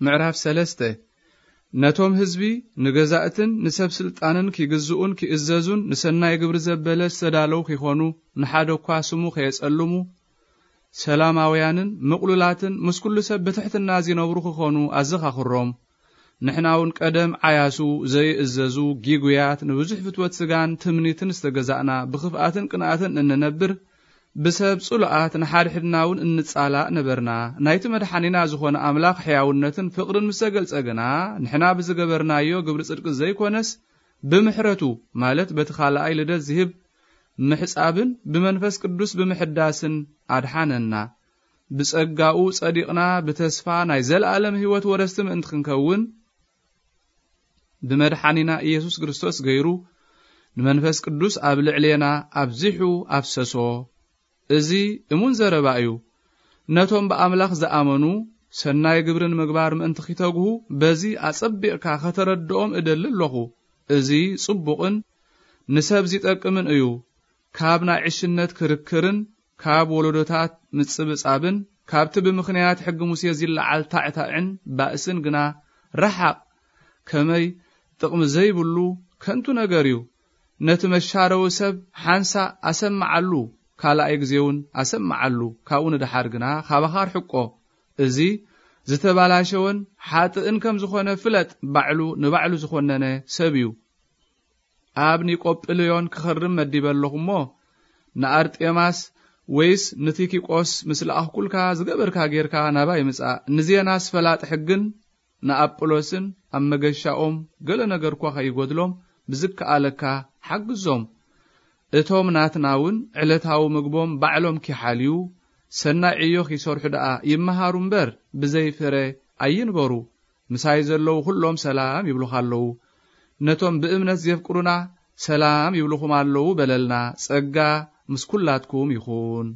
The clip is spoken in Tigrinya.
ምዕራፍ ሰለስተ። ነቶም ህዝቢ፣ ንገዛእትን ንሰብ ስልጣንን ኪግዝኡን ኪእዘዙን፣ ንሰናይ ግብሪ ዘበለ ዝተዳለዉ ኪኾኑ፣ ንሓደ እኳ ስሙ ከየጸልሙ፣ ሰላማውያንን ምቕሉላትን ምስ ኩሉ ሰብ ብትሕትና ዚነብሩ ኪኾኑ ኣዘኻኽሮም። ንሕና እውን ቀደም ዓያሱ፣ ዘይእዘዙ፣ ጊጉያት፣ ንብዙሕ ፍትወት ስጋን ትምኒትን ዝተገዛእና፣ ብኽፍኣትን ቅንኣትን እንነብር፣ ብሰብ ጽሉኣት፣ ንሓድሕድና እውን እንጻላእ ነበርና። ናይቲ መድሓኒና ዝኾነ ኣምላኽ ሕያውነትን ፍቕርን ምስ ተገልጸ ግና፣ ንሕና ብዝገበርናዮ ግብሪ ጽድቂ ዘይኮነስ፣ ብምሕረቱ፣ ማለት በቲ ካልኣይ ልደት ዝህብ ምሕጻብን ብመንፈስ ቅዱስ ብምሕዳስን ኣድሓነና። ብጸጋኡ ጸዲቕና፣ ብተስፋ ናይ ዘለኣለም ህይወት ወረስቲ ምእንቲ ክንከውን፣ ብመድሓኒና ኢየሱስ ክርስቶስ ገይሩ፣ ንመንፈስ ቅዱስ ኣብ ልዕሌና ኣብዚሑ ኣፍሰሶ። እዚ እሙን ዘረባ እዩ። ነቶም ብኣምላኽ ዝኣመኑ፣ ሰናይ ግብሪ ንምግባር ምእንቲ ኺተግሁ፣ በዚ ኣጸቢቕካ ኸተረድኦም እደሊ ኣለኹ። እዚ ጽቡቕን ንሰብ ዚጠቅምን እዩ። ካብ ናይ ዕሽነት ክርክርን፣ ካብ ወለዶታት ምጽብጻብን፣ ካብቲ ብምኽንያት ሕጊ ሙሴ ዚለዓል ታዕታዕን ባእስን ግና ረሓቕ። ከመይ ጥቕሚ ዘይብሉ ከንቱ ነገር እዩ። ነቲ መሻረዊ ሰብ ሓንሳእ ኣሰምዓሉ፣ ካልኣይ ግዜውን ኣሰምዓሉ፣ ካብኡ ንደሓር ግና ካባኻ ኣርሕቆ። እዚ ዝተባላሸወን ሓጥእን ከም ዝኾነ ፍለጥ፣ ባዕሉ ንባዕሉ ዝኾነነ ሰብ እዩ። ኣብ ኒቆጵልዮን ክኸርም መዲበ ኣለኹ እሞ፣ ንኣርጤማስ ወይስ ንቲኪቆስ ምስ ለኣኽኩልካ ዝገበርካ ጌርካ ናባይ ምጻእ። ንዜናስ ፈላጥ ሕግን ንኣጵሎስን ኣብ መገሻኦም ገለ ነገር እኳ ኸይጎድሎም ብዝከኣለካ ሓግዞም። እቶም ናትና እውን ዕለታዊ ምግቦም ባዕሎም ኪሓልዩ፣ ሰናይ ዕዮ ኺሰርሑ ደኣ ይመሃሩ እምበር፣ ብዘይ ፍረ ኣይንበሩ። ምሳይ ዘለዉ ኹሎም ሰላም ይብሉኻ ኣለዉ። ነቶም ብእምነት ዜፍቅሩና ሰላም ይብሉኹም ኣለዉ በለልና። ጸጋ ምስ ኩላትኩም ይኹን።